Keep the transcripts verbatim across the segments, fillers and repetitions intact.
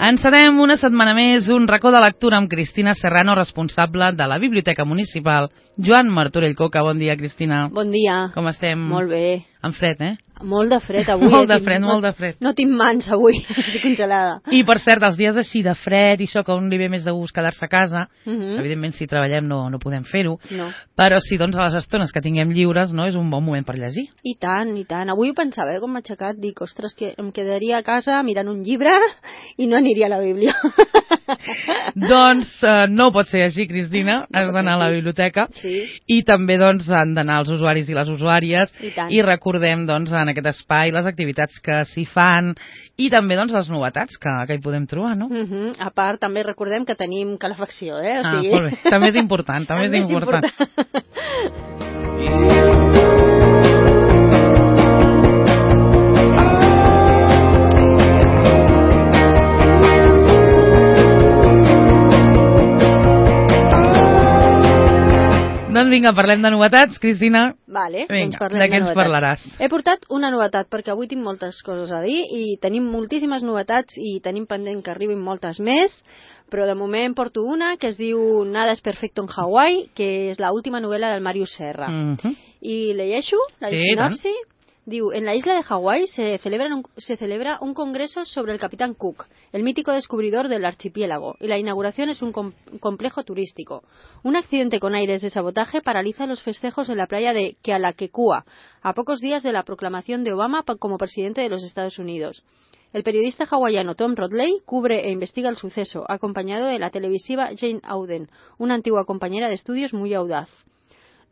Encetem una setmana més un racó de lectura amb Cristina Serrano, responsable de la Biblioteca Municipal Joan Martorell Coca. Bon dia, Cristina. Bon dia. Com estem? Molt bé. Amb fred, eh? Molt de fred avui. Molt de fred, molt de fred. No tinc mans avui, estic congelada. I per cert, els dies així de fred i això, que un li ve més de gust quedar-se a casa, uh -huh. evidentment si treballem no, no podem fer-ho, no. Però sí, doncs a les estones que tinguem lliures, no, és un bon moment per llegir. I tant, i tant. Avui ho pensava, eh, com m'ha aixecat, dic, ostres, que em quedaria a casa mirant un llibre i no aniria a la Bíblia. Doncs uh, no pot ser així, Cristina, no has d'anar a la biblioteca, sí. I també doncs han d'anar els usuaris i les usuàries, i, i recordem doncs en aquest espai les activitats que s'hi fan i també doncs les novetats que, que hi podem trobar, no? Uh -huh. A part, també recordem que tenim calefacció, eh? O sigui... Ah, molt bé, també és important, també, també és important. important. Doncs vinga, parlem de novetats, Cristina. Vale, vinga, doncs parlem de què de ens novetats. parlaràs? He portat una novetat, perquè avui tinc moltes coses a dir i tenim moltíssimes novetats i tenim pendent que arribin moltes més, però de moment porto una que es diu Nada es perfecto en Hawái, que és l'última novel·la del Màrius Serra. Uh -huh. I llegeixo la sí, sinopsi. Diu, en la isla de Hawái se celebra, un, se celebra un congreso sobre el Capitán Cook, el mítico descubridor del archipiélago, y la inauguración es un com complejo turístico. Un accidente con aires de sabotaje paraliza los festejos en la playa de Kealakekua, a pocos días de la proclamación de Obama como presidente de los Estados Unidos. El periodista hawaiano Tom Rodley cubre e investiga el suceso, acompañado de la televisiva Jane Auden, una antigua compañera de estudios muy audaz.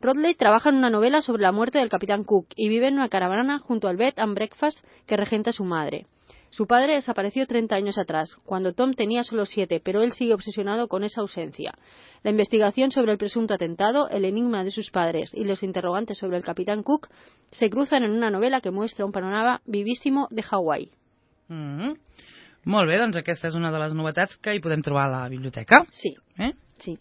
Rodley trabaja en una novela sobre la muerte del Capitán Cook y vive en una caravana junto al bed and breakfast que regenta su madre. Su padre desapareció treinta años atrás, cuando Tom tenía solo siete, pero él sigue obsesionado con esa ausencia. La investigación sobre el presunto atentado, el enigma de sus padres y los interrogantes sobre el Capitán Cook se cruzan en una novela que muestra un panorama vivísimo de Hawái. Mm -hmm. Molt bé, doncs aquesta és una de les novetats que hi podem trobar a la biblioteca. Sí. Eh? Sí.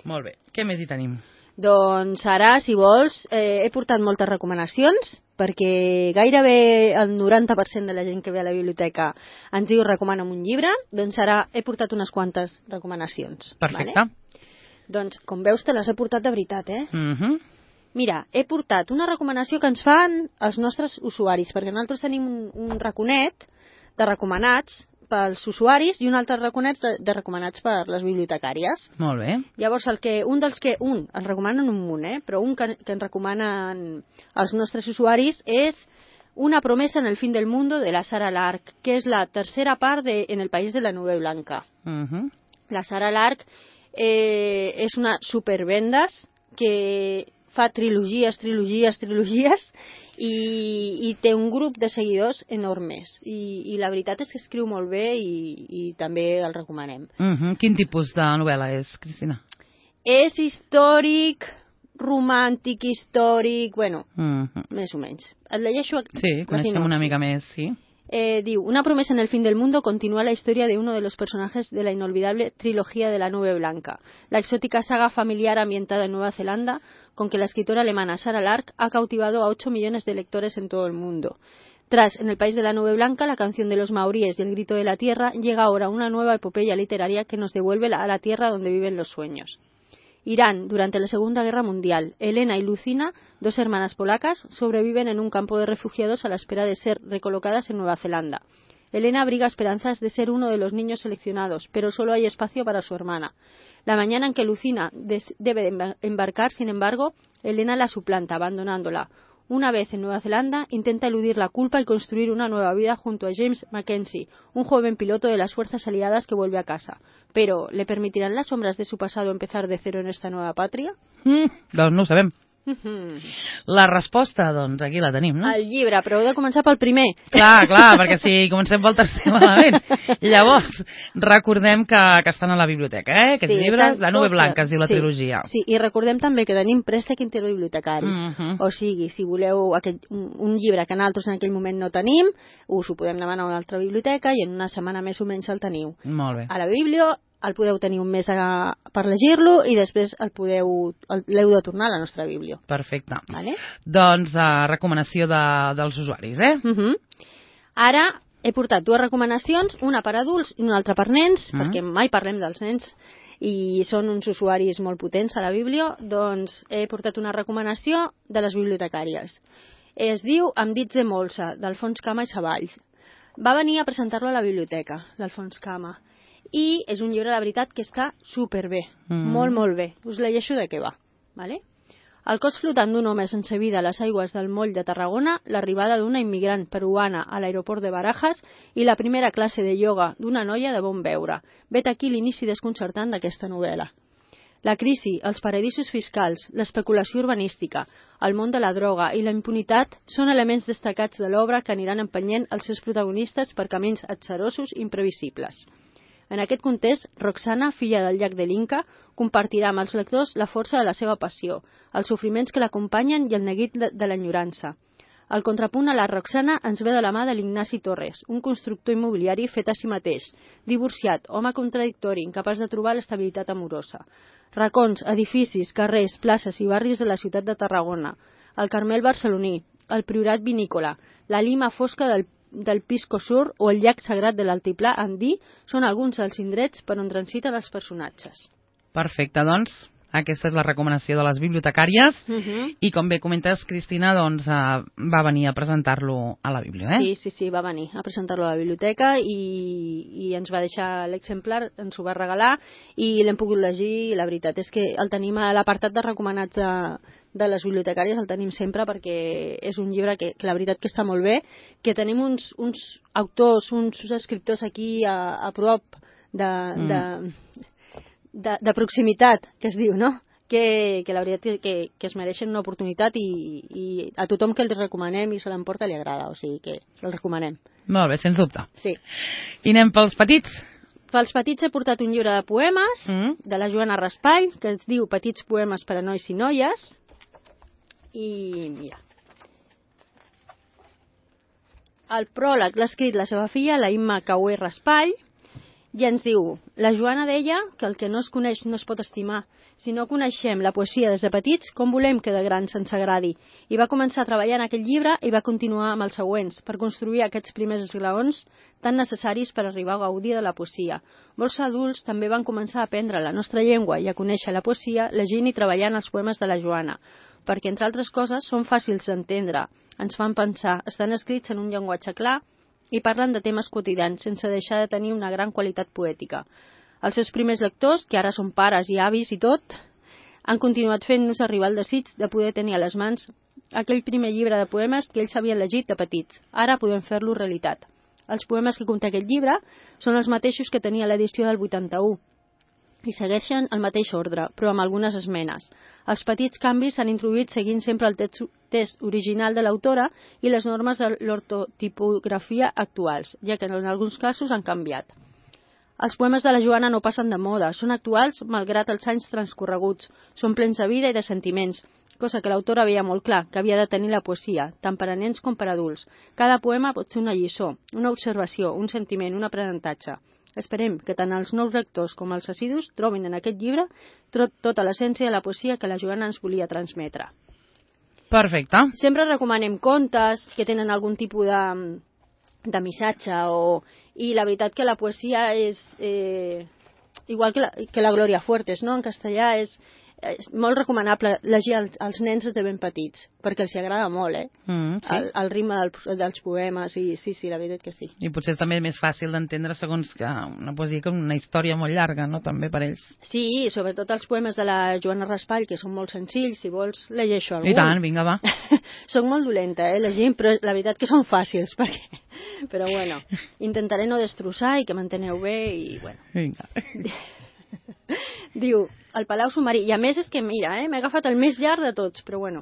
Molt bé. Què més hi tenim? Doncs ara, si vols, eh, he portat moltes recomanacions, perquè gairebé el noranta per cent de la gent que ve a la biblioteca ens diu recomana'm un llibre, doncs ara he portat unes quantes recomanacions. Perfecte. Vale? Doncs, com veus, te les he portat de veritat, eh? Uh -huh. Mira, he portat una recomanació que ens fan els nostres usuaris, perquè nosaltres tenim un, un raconet de recomanats pels usuaris i un altre raconet de, de recomanats per les bibliotecàries. Molt bé. Llavors, el que, un dels que, un, ens recomanen un munt, eh? Però un que, que ens recomanen els nostres usuaris és Una promesa en el fin del mundo de la Sara Lark, que és la tercera part de En el país de la nube blanca. Uh -huh. La Sara Lark eh, és una supervendes que fa trilogies, trilogies, trilogies i, i té un grup de seguidors enormes i, i la veritat és que escriu molt bé i, i també el recomanem. Uh -huh. Quin tipus de novel·la és, Cristina? És històric, romàntic, històric, bueno, uh -huh. més o menys. Et llegeixo sí, coneixem una mica més, sí. Eh, diu, Una promesa en el fin del mundo continúa la historia de uno de los personajes de la inolvidable trilogía de la nube blanca, la exótica saga familiar ambientada en Nueva Zelanda, con que la escritora alemana Sara Lark ha cautivado a ocho millones de lectores en todo el mundo. Tras En el país de la nube blanca, La canción de los maoríes y El grito de la tierra, llega ahora una nueva epopeya literaria que nos devuelve a la tierra donde viven los sueños. Irán, durante la Segunda Guerra Mundial. Elena y Lucina, dos hermanas polacas, sobreviven en un campo de refugiados a la espera de ser recolocadas en Nueva Zelanda. Elena abriga esperanzas de ser uno de los niños seleccionados, pero solo hay espacio para su hermana. La mañana en que Lucina debe embarcar, sin embargo, Elena la suplanta, abandonándola. Una vez en Nueva Zelanda, intenta eludir la culpa y construir una nueva vida junto a James Mackenzie, un joven piloto de las fuerzas aliadas que vuelve a casa. Pero, ¿le permitirán las sombras de su pasado empezar de cero en esta nueva patria? Mm, doncs no ho sabem. La resposta, doncs, aquí la tenim, no? El llibre, però heu de començar pel primer. Clar, clar, perquè si comencem pel tercer malament. Llavors, recordem que, que estan a la biblioteca, eh? Aquests sí, llibres, La nube tots, blanca es diu la sí, trilogia. Sí, i recordem també que tenim préstec interbibliotecari. Uh -huh. O sigui, si voleu aquell, un, un llibre que nosaltres en aquell moment no tenim, us ho podem demanar a una altra biblioteca i en una setmana més o menys el teniu. Molt bé. A la Biblio el podeu tenir un mes a, per llegir-lo i després el podeu l'heu de tornar a la nostra Biblio. Perfecte. Vale? Doncs uh, recomanació de, dels usuaris, eh? Uh -huh. Ara he portat dues recomanacions, una per adults i una altra per nens, Mm. perquè mai parlem dels nens i són uns usuaris molt potents a la Bíblia, doncs he portat una recomanació de les bibliotecàries. Es diu Amb dits de molsa, d'Alfons Cama i Savalls. Va venir a presentar-lo a la biblioteca, l'Alfons Cama, i és un llibre, la veritat, que està superbé, Mm. molt, molt bé. Us llegeixo de què va, ¿vale? El cos flotant d'un home sense vida a les aigües del moll de Tarragona, l'arribada d'una immigrant peruana a l'aeroport de Barajas i la primera classe de ioga d'una noia de bon veure. Vet aquí l'inici desconcertant d'aquesta novel·la. La crisi, els paradisos fiscals, l'especulació urbanística, el món de la droga i la impunitat són elements destacats de l'obra que aniran empenyent els seus protagonistes per camins atzerosos i imprevisibles. En aquest context, Roxana, filla del llac de l'Inca, compartirà amb els lectors la força de la seva passió, els sofriments que l'acompanyen i el neguit de, de l'enyorança. El contrapunt a la Roxana ens ve de la mà de l'Ignasi Torres, un constructor immobiliari fet a si mateix, divorciat, home contradictori, incapaç de trobar l'estabilitat amorosa. Racons, edificis, carrers, places i barris de la ciutat de Tarragona, el Carmel barceloní, el Priorat vinícola, la Lima fosca del, del Pisco Sur o el llac sagrat de l'Altiplà andí són alguns dels indrets per on transiten els personatges. Perfecte, doncs, aquesta és la recomanació de les bibliotecàries Uh -huh. i com bé comentes, Cristina, doncs, eh, va venir a presentar-lo a la Bíblia, eh? Sí, sí, sí, va venir a presentar-lo a la biblioteca i, i ens va deixar l'exemplar, ens ho va regalar i l'hem pogut llegir i la veritat és que el tenim a l'apartat de recomanats de, de les bibliotecàries, el tenim sempre perquè és un llibre que, que la veritat que està molt bé, que tenim uns, uns autors, uns escriptors aquí a, a prop de... Mm. de De, de proximitat, que es diu, no? Que, que la veritat que, que, que es mereixen una oportunitat i, i a tothom que els recomanem i se l'emporta li agrada, o sigui que el recomanem. Molt bé, sens dubte. Sí. I anem pels petits? Pels petits he portat un llibre de poemes Mm. de la Joana Raspall, que es diu Petits poemes per a nois i noies. I mira. El pròleg l'ha escrit la seva filla, la Imma Caué Raspall, i ens diu, la Joana deia que el que no es coneix no es pot estimar. Si no coneixem la poesia des de petits, com volem que de grans ens agradi? I va començar a treballar en aquest llibre i va continuar amb els següents, per construir aquests primers esglaons tan necessaris per arribar a gaudir de la poesia. Molts adults també van començar a aprendre la nostra llengua i a conèixer la poesia llegint i treballant els poemes de la Joana, perquè, entre altres coses, són fàcils d'entendre, ens fan pensar, estan escrits en un llenguatge clar i parlen de temes quotidians sense deixar de tenir una gran qualitat poètica. Els seus primers lectors, que ara són pares i avis i tot, han continuat fent-nos arribar el desig de poder tenir a les mans aquell primer llibre de poemes que ells havien llegit de petits. Ara podem fer-lo realitat. Els poemes que conté aquest llibre són els mateixos que tenia l'edició del vuitanta-u i segueixen el mateix ordre, però amb algunes esmenes. Els petits canvis s'han introduït seguint sempre el text, text original de l'autora i les normes de l'ortotipografia actuals, ja que en alguns casos han canviat. Els poemes de la Joana no passen de moda, són actuals malgrat els anys transcorreguts, són plens de vida i de sentiments, cosa que l'autora veia molt clar, que havia de tenir la poesia, tant per a nens com per a adults. Cada poema pot ser una lliçó, una observació, un sentiment, un aprenentatge. Esperem que tant els nous lectors com els assidus trobin en aquest llibre tota l'essència de la poesia que la Joana ens volia transmetre. Perfecte. Sempre recomanem contes que tenen algun tipus de, de missatge o... i la veritat que la poesia és eh, igual que la, que la Gloria Fuertes, no? En castellà és, és molt recomanable llegir als, als nens des de ben petits, perquè els agrada molt, eh? Mm, sí. el, el ritme del, dels poemes, i sí, sí, la veritat que sí. I potser és també més fàcil d'entendre segons que una poesia com una història molt llarga, no?, també per ells. Sí, sobretot els poemes de la Joana Raspall, que són molt senzills, si vols llegeixo algun. I tant, vinga, va. Soc molt dolenta, eh, llegint, però la veritat que són fàcils, perquè... però bueno, intentaré no destrossar i que m'enteneu bé i bueno. Vinga. Diu, el Palau Submarí, i a més és que mira, eh, m'he agafat el més llarg de tots, però bueno.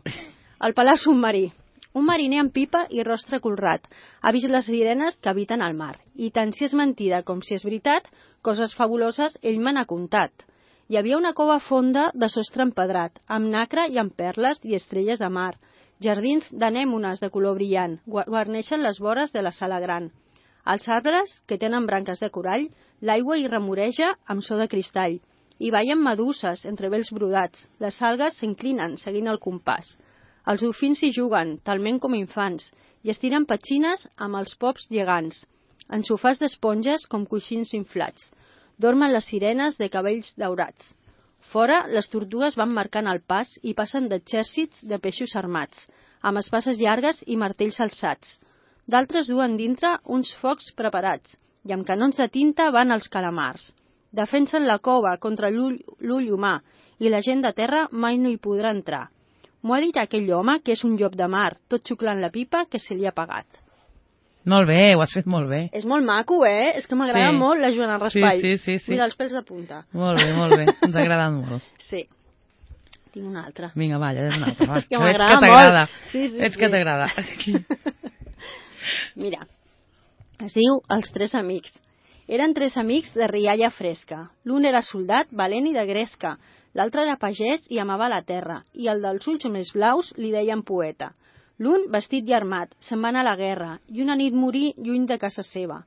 El Palau Submarí. Un mariner amb pipa i rostre colrat ha vist les sirenes que habiten al mar, i tant si és mentida com si és veritat, coses fabuloses ell me n'ha contat. Hi havia una cova fonda de sostre empedrat, amb nacre i amb perles i estrelles de mar. Jardins d'anèmones de color brillant guarneixen les vores de la sala gran. Els arbres, que tenen branques de corall, l'aigua hi remoreja amb so de cristall. Hi ballen meduses entre vells brodats. Les algues s'inclinen seguint el compàs. Els dofins hi juguen, talment com infants, i estiren petxines amb els pops gegants. En sofàs d'esponges com coixins inflats. Dormen les sirenes de cabells daurats. Fora, les tortugues van marcant el pas i passen d'exèrcits de peixos armats, amb espases llargues i martells alçats. D'altres duen dintre uns focs preparats, i amb canons de tinta van els calamars. Defensen la cova contra l'ull humà, i la gent de terra mai no hi podrà entrar. M'ho ha dit aquell home que és un llop de mar, tot xuclant la pipa que se li ha pagat. Molt bé, ho has fet molt bé. És molt maco, eh? És que m'agrada sí. molt la Joana Raspall. Sí, sí, sí, sí. Mira els pèls de punta. Molt bé, molt bé. Ens ha agradat molt. Sí. Tinc una altra. Vinga, va, ja és una altra. Va. És que m'agrada molt. Sí, sí, Ets sí. que t'agrada. Mira, es diu Els tres amics. Eren tres amics de rialla fresca. L'un era soldat, valent i de gresca. L'altre era pagès i amava la terra. I el dels ulls més blaus li deien poeta. L'un, vestit i armat, se'n va anar a la guerra i una nit morí lluny de casa seva.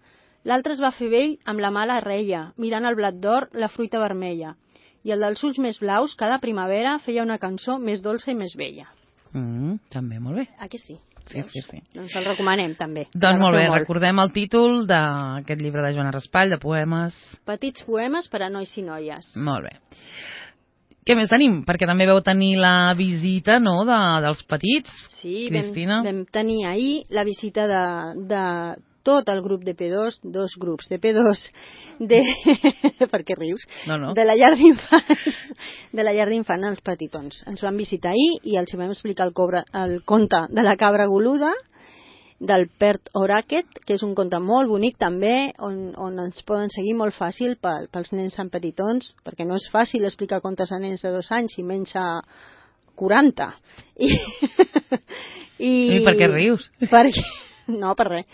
L'altre es va fer vell amb la mala reia, mirant el blat d'or, la fruita vermella. I el dels ulls més blaus, cada primavera, feia una cançó més dolça i més bella. Mm, també, molt bé. Ah, que sí? Sí, sí, sí. Doncs el recomanem, també. Doncs molt bé, molt. Recordem el títol d'aquest llibre de Joana Raspall, de poemes. Petits poemes per a nois i noies. Molt bé. Què més tenim? Perquè també vau tenir la visita, no?, de, dels petits, sí, Cristina. Sí, vam, vam tenir ahir la visita de, de tot el grup de P dos, dos grups de P dos, de... per què rius? No, no. De la llar d'infants, de la llar d'infants als petitons. Ens van visitar ahir i els vam explicar el, cobra, el conte de la cabra goluda, del Pert Oraket, que és un conte molt bonic també, on, on ens poden seguir molt fàcil pel, pels nens tan petitons, perquè no és fàcil explicar contes a nens de dos anys i menys a quaranta. I, i, I per què rius? Perquè... No, per res.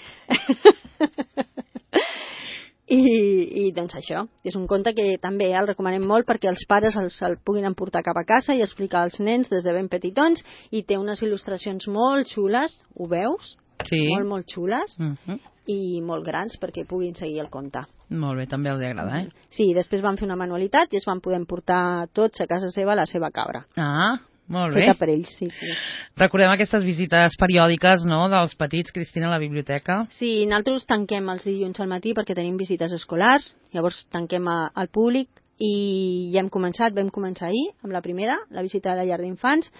I, I doncs això, és un conte que també el recomanem molt perquè els pares els, el puguin emportar cap a casa i explicar als nens des de ben petitons, i té unes il·lustracions molt xules, ho veus? Sí. Molt, molt xules, uh -huh. i molt grans perquè puguin seguir el conte. Molt bé, també els agrada, eh? Sí, després van fer una manualitat i es van poder emportar tots a casa seva la seva cabra. Ah, molt bé. Feta per ells, sí, sí. Recordem aquestes visites periòdiques, no?, dels petits, Cristina, a la biblioteca. Sí, nosaltres tanquem els dilluns al matí perquè tenim visites escolars, llavors tanquem a, al públic, i ja hem començat, vam començar ahir amb la primera, la visita a la llar d'infants.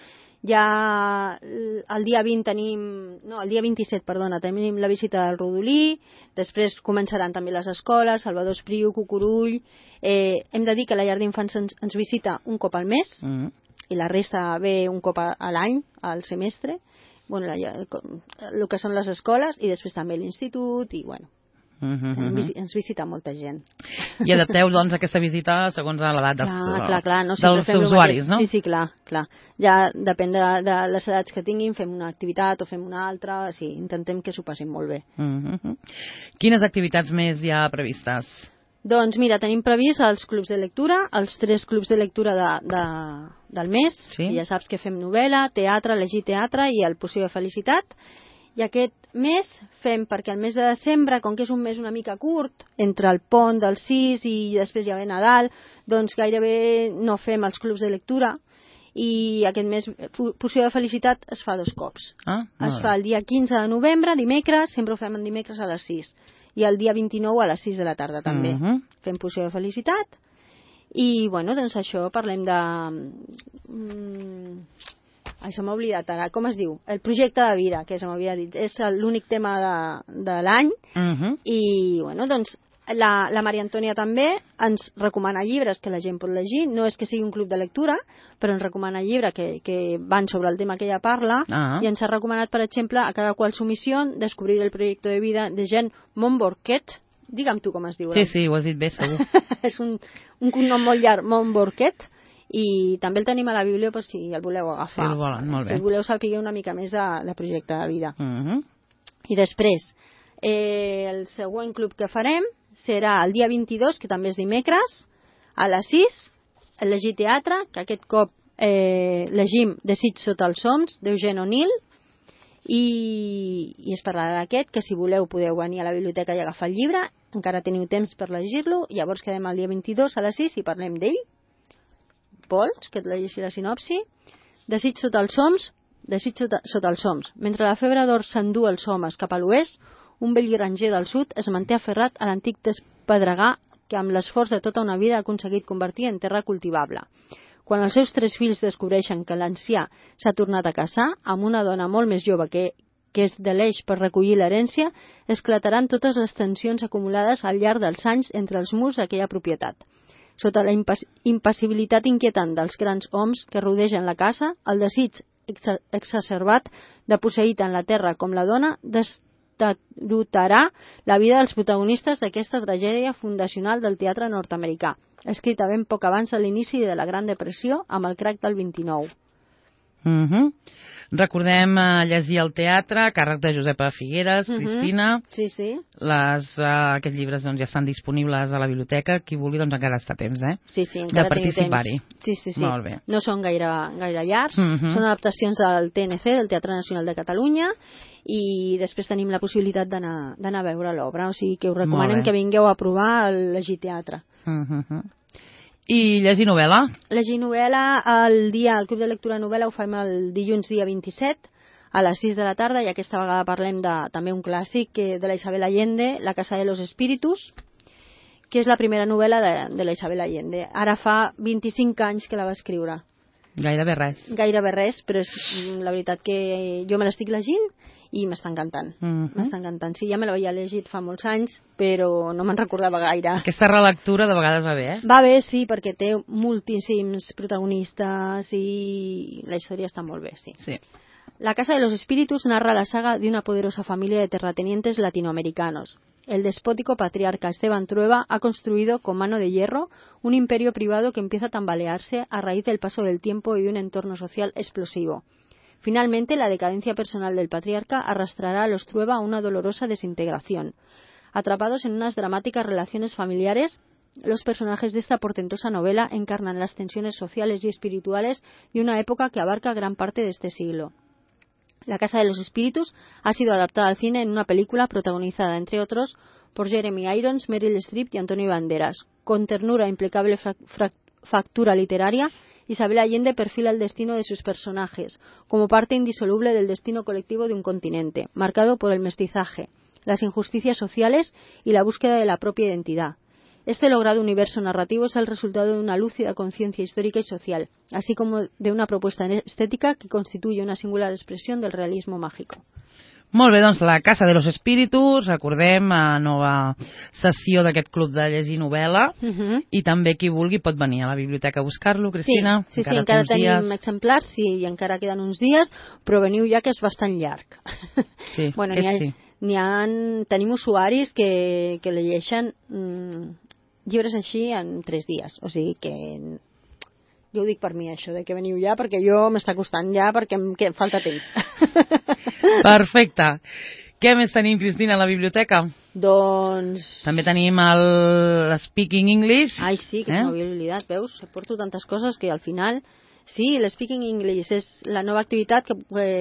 Ja el dia vint tenim, no, el dia vint-i-set, perdona, tenim la visita del Rodolí, després començaran també les escoles, Salvador Espriu, Cucurull. Eh, hem de dir que la llar d'infants ens, ens visita un cop al mes, mm. i la resta ve un cop a, a l'any, al semestre, bueno, la, el que són les escoles, i després també l'institut, i bueno, uh -huh. ens visita molta gent. I adapteu, doncs, aquesta visita segons l'edat dels, clar, clar, clar, no, dels usuaris, no? Sí, sí, clar, clar. Ja depèn de, de les edats que tinguin, fem una activitat o fem una altra, sí, intentem que s'ho passin molt bé. Uh -huh. Quines activitats més hi ha previstes? Doncs mira, tenim previst els clubs de lectura, els tres clubs de lectura de, de, del mes, sí? Ja saps que fem novel·la, teatre, llegir teatre i el Poció de Felicitat. I aquest mes fem, perquè el mes de desembre, com que és un mes una mica curt, entre el pont del sis i després ja ve Nadal, doncs gairebé no fem els clubs de lectura, i aquest mes Poció de Felicitat es fa dos cops. Ah, es fa el dia quinze de novembre, dimecres, sempre ho fem en dimecres a les sis, i el dia vint-i-nou a les sis de la tarda també. Uh -huh. Fem Poció de Felicitat, i bueno, doncs això, parlem de... Mm, ai, se m'ha oblidat ara, com es diu? El projecte de vida, que se m'havia dit, és l'únic tema de, de l'any, uh -huh. i bueno, doncs la, la Maria Antònia també ens recomana llibres que la gent pot llegir, no és que sigui un club de lectura, però ens recomana llibres que, que van sobre el tema que ella parla, uh-huh. i ens ha recomanat, per exemple, a cada qual su misión, descobrir el projecte de vida de Jean Montborquet. Digue'm tu com es diu. Sí, sí, ho has dit bé, segur. És un, un cognom molt llarg, Montborquet, i també el tenim a la Bíblia per si el voleu agafar. Si el volen, molt bé. Si voleu saber una mica més de, de projecte de vida. Uh-huh. I després, eh, el següent club que farem serà el dia vint-i-dos, que també és dimecres, a les sis, el llegir teatre, que aquest cop eh, llegim Desig sota els oms, d'Eugene O'Neill, i, i es parlarà d'aquest, que si voleu podeu venir a la biblioteca i agafar el llibre, encara teniu temps per llegir-lo, llavors quedem el dia vint-i-dos a les sis i parlem d'ell. Vols que et llegeixi la sinopsi? Desig sota els oms, Desig sota, sota els oms. Mentre la febre d'or s'endú els homes cap a l'oest, un vell granger del sud es manté aferrat a l'antic despedregar que amb l'esforç de tota una vida ha aconseguit convertir en terra cultivable. Quan els seus tres fills descobreixen que l'ancià s'ha tornat a casar amb una dona molt més jove que, que és de l'eix per recollir l'herència, esclataran totes les tensions acumulades al llarg dels anys entre els murs d'aquella propietat. Sota la impass impassibilitat inquietant dels grans oms que rodegen la casa, el desig ex exacerbat de posseir tant la terra com la dona destarotarà la vida dels protagonistes d'aquesta tragèdia fundacional del teatre nord-americà, escrita ben poc abans de l'inici de la Gran Depressió amb el crac del vint-i-nou. Mm-hmm. Recordem uh, llegir al teatre, càrrec de Josepa Figueres, uh-huh. Cristina. Sí, sí. Les, uh, aquests llibres doncs, ja estan disponibles a la biblioteca. Qui vulgui, doncs encara està a temps, eh? Sí, sí, encara de participar-hi. Sí, sí, sí. Molt bé. No són gaire, gaire llargs. Uh-huh. Són adaptacions del T N C, del Teatre Nacional de Catalunya, i després tenim la possibilitat d'anar a veure l'obra. O sigui que us recomanem que vingueu a provar el Llegir Teatre. Uh-huh. I llegir novel·la? Llegir novel·la, el dia, el Club de Lectura Novel·la ho fem el dilluns dia vint-i-set a les sis de la tarda, i aquesta vegada parlem de també un clàssic que, de la Isabel Allende, La Casa de los Espíritus, que és la primera novel·la de, de la Isabel Allende. Ara fa vint-i-cinc anys que la va escriure. Gairebé res. Gairebé res, però és la veritat que jo me l'estic llegint i m'està encantant. Uh-huh. M'està encantant. Sí, ja me l'havia llegit fa molts anys, però no me'n recordava gaire. Aquesta relectura de vegades va bé, eh? Va bé, sí, perquè té moltíssims protagonistes i la història està molt bé, sí. Sí. La Casa de los Espíritus narra la saga de una poderosa familia de terratenientes latinoamericanos. El despótico patriarca Esteban Trueba ha construido con mano de hierro un imperio privado que empieza a tambalearse a raíz del paso del tiempo y de un entorno social explosivo. Finalmente, la decadencia personal del patriarca arrastrará a los Trueba a una dolorosa desintegración. Atrapados en unas dramáticas relaciones familiares, los personajes de esta portentosa novela encarnan las tensiones sociales y espirituales de una época que abarca gran parte de este siglo. La Casa de los Espíritus ha sido adaptada al cine en una película protagonizada, entre otros, por Jeremy Irons, Meryl Streep y Antonio Banderas. Con ternura e impecable factura literaria, Isabel Allende perfila el destino de sus personajes como parte indisoluble del destino colectivo de un continente, marcado por el mestizaje, las injusticias sociales y la búsqueda de la propia identidad. Este logrado universo narrativo es el resultado de una lúcida conciencia histórica y social, así como de una propuesta estética que constituye una singular expresión del realismo mágico. Molt bé, doncs La Casa de los Espíritus, recordem, a nova sessió d'aquest club de llegir novel·la, uh-huh. i també qui vulgui pot venir a la biblioteca a buscar-lo, Cristina. Sí, sí, encara, sí, encara tenim dies. exemplars, sí, i encara queden uns dies, però veniu ja que és bastant llarg. Sí, bueno, n'hi ha, sí. N'hi ha, tenim usuaris que, que llegeixen mm, llibres així en tres dies, o sigui que jo ho dic per mi, això, de que veniu ja, perquè jo m'està costant ja, perquè em que falta temps. Perfecte. Què més tenim, Cristina, a la biblioteca? Doncs... També tenim el Speaking English. Ai, sí, que eh? m'havia oblidat, veus? Porto tantes coses que al final... Sí, l'Speaking English és la nova activitat que,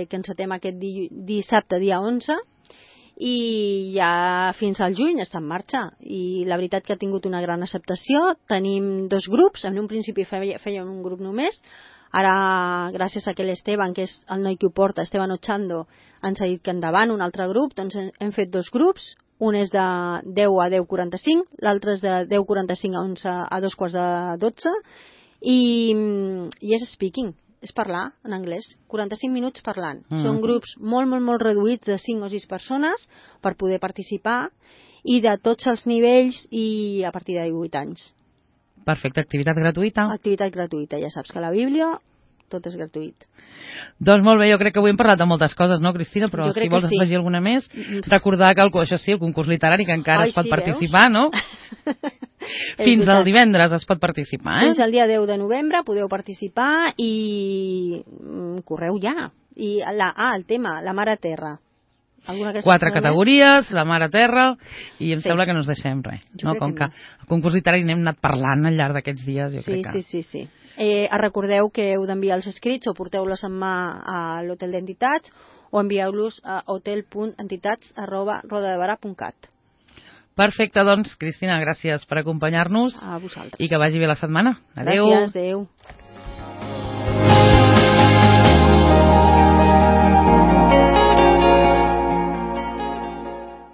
que encetem aquest di dissabte, dia onze, i ja fins al juny està en marxa, i la veritat que ha tingut una gran acceptació. Tenim dos grups, en un principi fèiem un grup només, ara gràcies a que l'Esteban, que és el noi que ho porta, Esteban Ochando, ens ha dit que endavant un altre grup, doncs hem fet dos grups, un és de deu a deu quaranta-cinc, l'altre és de deu quaranta-cinc a onze a dos quarts de dotze, i, i és speaking, és parlar en anglès, quaranta-cinc minuts parlant. Mm. Són grups molt, molt, molt reduïts de cinc o sis persones per poder participar, i de tots els nivells i a partir de divuit anys. Perfecte, activitat gratuïta. Activitat gratuïta, ja saps que a la Bíblia tot és gratuït. Doncs molt bé, jo crec que avui hem parlat de moltes coses, no, Cristina? Però si vols sí. afegir alguna més, recordar que el, això sí, el concurs literari, que encara Ai, es pot sí, participar, no? Fins al divendres es pot participar, eh? Fins al dia deu de novembre podeu participar i mm, correu ja. I la, ah, el tema, la Mare Terra. Quatre categories, més? La Mare Terra, i em sí. sembla que no ens deixem res. No? Com que, que el concurs literari n'hem anat parlant al llarg d'aquests dies, jo sí, crec que... Sí, sí, sí. Eh, recordeu que heu d'enviar els escrits o porteu-los en mà a l'Hotel d'Entitats o envieu-los a hotel punt entitats arroba rodadevara punt cat. Perfecte, doncs, Cristina, gràcies per acompanyar-nos. A vosaltres. I que vagi bé la setmana. Adéu. Gràcies, adéu.